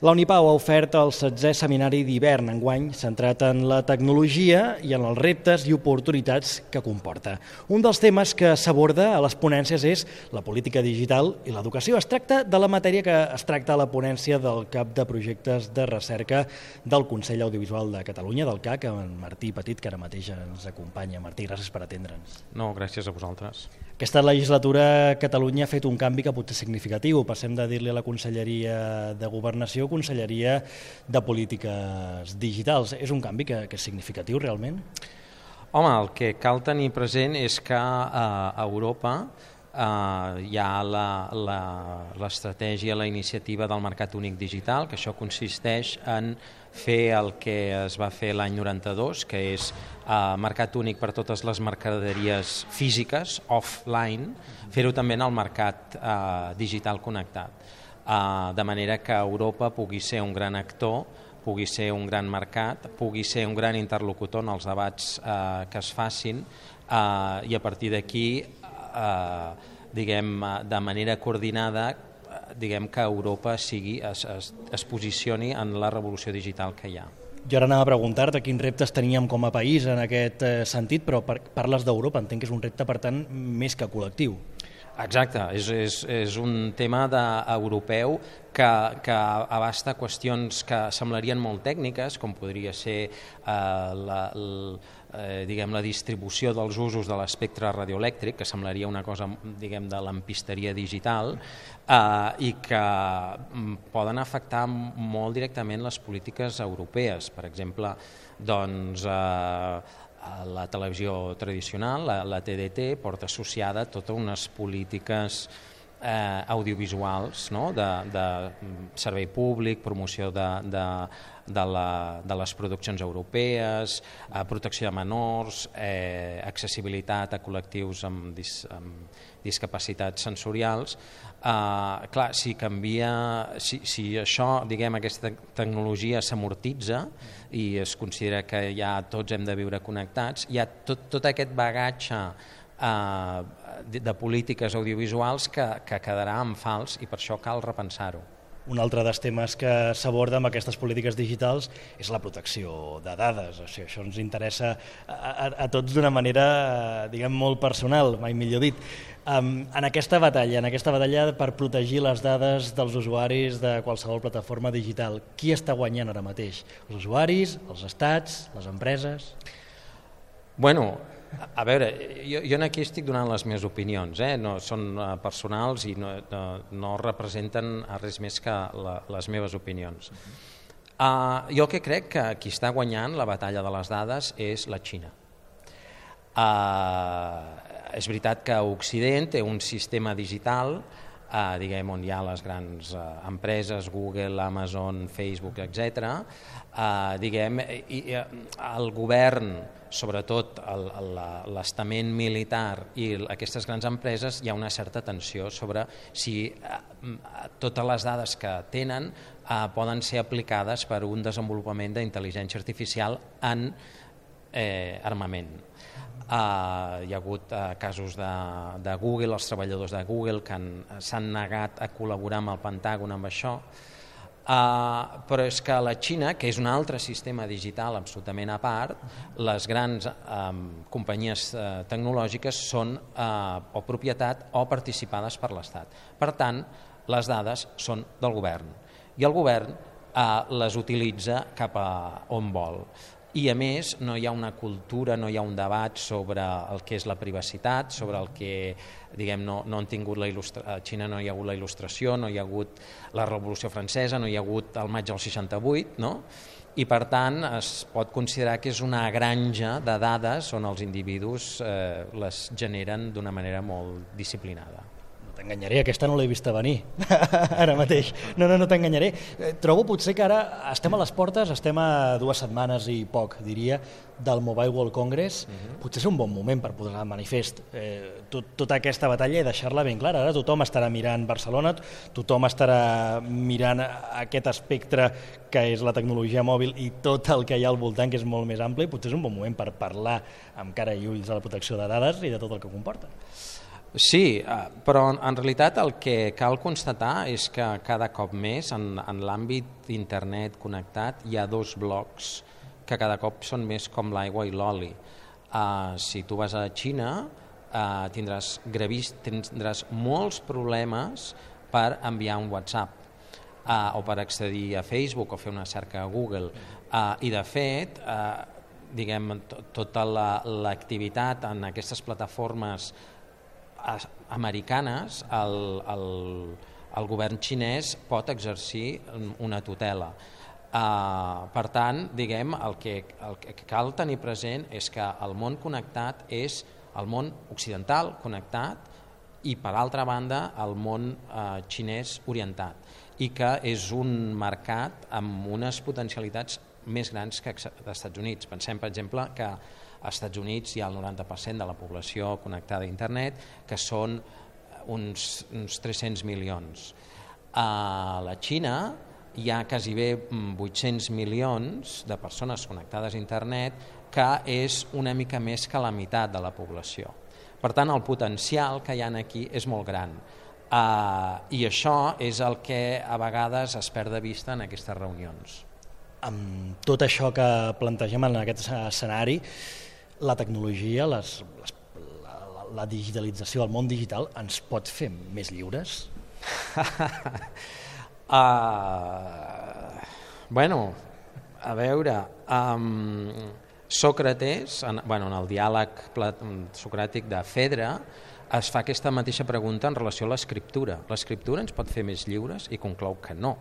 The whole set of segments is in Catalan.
La Unipau ha ofert el 16è seminari d'hivern enguany centrat en la tecnologia i en els reptes i oportunitats que comporta. Un dels temes que s'aborda a les ponències és la política digital i l'educació. Es tracta de la matèria que es tracta a la ponència del cap de projectes de recerca del Consell Audiovisual de Catalunya, del CAC, en Martí Petit, que ara mateix ens acompanya. Martí, gràcies per atendre'ns. No, gràcies a vosaltres. Aquesta legislatura Catalunya ha fet un canvi que pot ser significatiu. Passem de dir-li a la Conselleria de Governació Conselleria de Polítiques Digitals. És un canvi que és significatiu realment? Home, el que cal tenir present és que a Europa hi ha l'estratègia, la iniciativa del Mercat Únic Digital, que això consisteix en fer el que es va fer l'any 92, que és mercat únic per totes les mercaderies físiques, offline, fer-ho també en el mercat digital connectat, de manera que Europa pugui ser un gran actor, pugui ser un gran mercat, pugui ser un gran interlocutor en els debats que es facin i a partir d'aquí, de manera coordinada, que Europa es posicioni en la revolució digital que hi ha. Jo ara anava a preguntar-te quins reptes teníem com a país en aquest sentit, però parles d'Europa, entenc que és un repte, per tant, més que col·lectiu. Exacte, és un tema europeu que abasta qüestions que semblarien molt tècniques, com podria ser la distribució dels usos de l'espectre radioelèctric, que semblaria una cosa de lampisteria digital, i que poden afectar molt directament les polítiques europees. Per exemple, la televisió tradicional, la TDT, porta associada totes unes polítiques audiovisuals, de servei públic, promoció de les produccions europees, protecció de menors, accessibilitat a col·lectius amb discapacitats sensorials. Clar, si això, aquesta tecnologia s'amortitza i es considera que ja tots hem de viure connectats, hi ha tot aquest bagatge de polítiques audiovisuals que quedarà en fals i per això cal repensar-ho. Un altre dels temes que s'aborda amb aquestes polítiques digitals és la protecció de dades. O sigui, això ens interessa a tots d'una manera, molt personal, mai millor dit. En aquesta batalla per protegir les dades dels usuaris de qualsevol plataforma digital, qui està guanyant ara mateix? Els usuaris, els estats, les empreses? Bueno, a veure, jo aquí estic donant les meves opinions, no són personals i no representen res més que les meves opinions. Jo que crec que qui està guanyant la batalla de les dades és la Xina. És veritat que Occident té un sistema digital on hi ha les grans empreses, Google, Amazon, Facebook, etc. I el govern, sobretot l'estament militar i aquestes grans empreses, hi ha una certa tensió sobre si totes les dades que tenen poden ser aplicades per un desenvolupament d'intel·ligència artificial en armament. Hi ha hagut casos de Google, els treballadors de Google que s'han negat a col·laborar amb el Pentàgon amb això, però és que la Xina, que és un altre sistema digital absolutament a part, les grans companyies tecnològiques són o propietat o participades per l'Estat. Per tant, les dades són del govern i el govern les utilitza cap a on vol. I a més no hi ha una cultura, no hi ha un debat sobre el que és la privacitat, sobre el que no han tingut a Xina no hi ha hagut la il·lustració, no hi ha hagut la Revolució Francesa, no hi ha hagut el maig del 68, i per tant es pot considerar que és una granja de dades on els individus les generen d'una manera molt disciplinada. T'enganyaré, aquesta no l'he vista venir, ara mateix. No t'enganyaré. Trobo potser que ara estem a les portes, estem a 2 setmanes i poc, diria, del Mobile World Congress. Potser és un bon moment per posar de manifest tota aquesta batalla i deixar-la ben clara. Ara tothom estarà mirant Barcelona, tothom estarà mirant aquest espectre que és la tecnologia mòbil i tot el que hi ha al voltant, que és molt més ampli. Potser és un bon moment per parlar amb cara i ulls de la protecció de dades i de tot el que comporta. Sí, però en realitat el que cal constatar és que cada cop més en l'àmbit d'internet connectat hi ha dos blocs que cada cop són més com l'aigua i l'oli. Si tu vas a la Xina tindràs molts problemes per enviar un WhatsApp o per accedir a Facebook o fer una cerca a Google. I de fet, tota l'activitat en aquestes plataformes americanes, el govern xinès pot exercir una tutela. Per tant, el que cal tenir present és que el món connectat és el món occidental connectat i, per altra banda, el món xinès orientat, i que és un mercat amb unes potencialitats més grans que als Estats Units. Pensem, per exemple, que als Estats Units hi ha el 90% de la població connectada a internet, que són uns 300 milions. A la Xina hi ha quasi bé 800 milions de persones connectades a internet, que és una mica més que la meitat de la població. Per tant, el potencial que hi ha aquí és molt gran. I això és el que a vegades es perd de vista en aquestes reunions. Amb tot això que plantegem en aquest escenari, la tecnologia, la digitalització, el món digital, ens pot fer més lliures? Bueno, a veure, Sòcrates, en el diàleg socràtic de Fedre, es fa aquesta mateixa pregunta en relació a l'escriptura. L'escriptura ens pot fer més lliures? I conclou que no,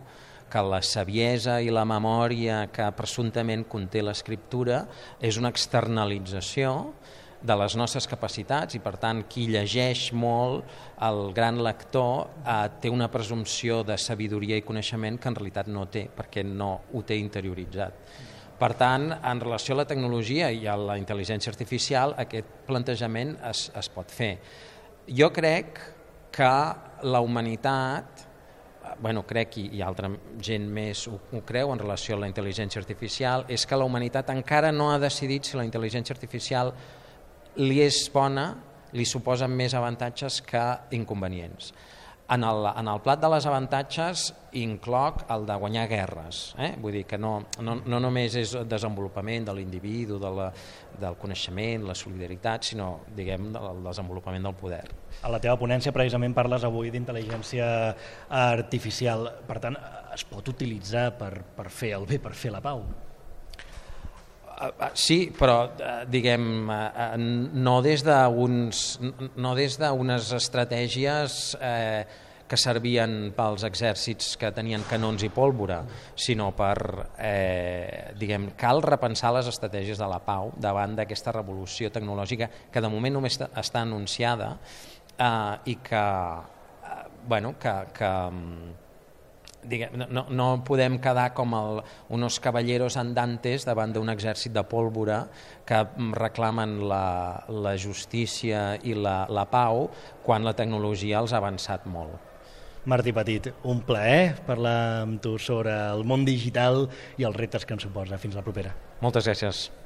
que la saviesa i la memòria que presumptament conté l'escriptura és una externalització de les nostres capacitats i, per tant, qui llegeix molt, el gran lector, té una presumpció de sabidoria i coneixement que en realitat no té, perquè no ho té interioritzat. Per tant, en relació a la tecnologia i a la intel·ligència artificial, aquest plantejament es pot fer. Jo crec que la humanitat, crec i altra gent més ho creu en relació a la intel·ligència artificial, és que la humanitat encara no ha decidit si la intel·ligència artificial li és bona, li suposa més avantatges que inconvenients. En el plat de les avantatges incloc el de guanyar guerres. Vull dir que no només és el desenvolupament de l'individu, del coneixement, la solidaritat, sinó el desenvolupament del poder. A la teva ponència precisament parles avui d'intel·ligència artificial. Per tant, es pot utilitzar per fer el bé, per fer la pau? Sí, però no des d'unes estratègies que servien pels exèrcits que tenien canons i pólvora, sinó cal repensar les estratègies de la pau davant d'aquesta revolució tecnològica que de moment només està anunciada i que no podem quedar com unos caballeros andantes davant d'un exèrcit de pólvora que reclamen la justícia i la pau quan la tecnologia els ha avançat molt. Martí Petit, un plaer parlar amb tu sobre el món digital i els reptes que ens suposa. Fins la propera. Moltes gràcies.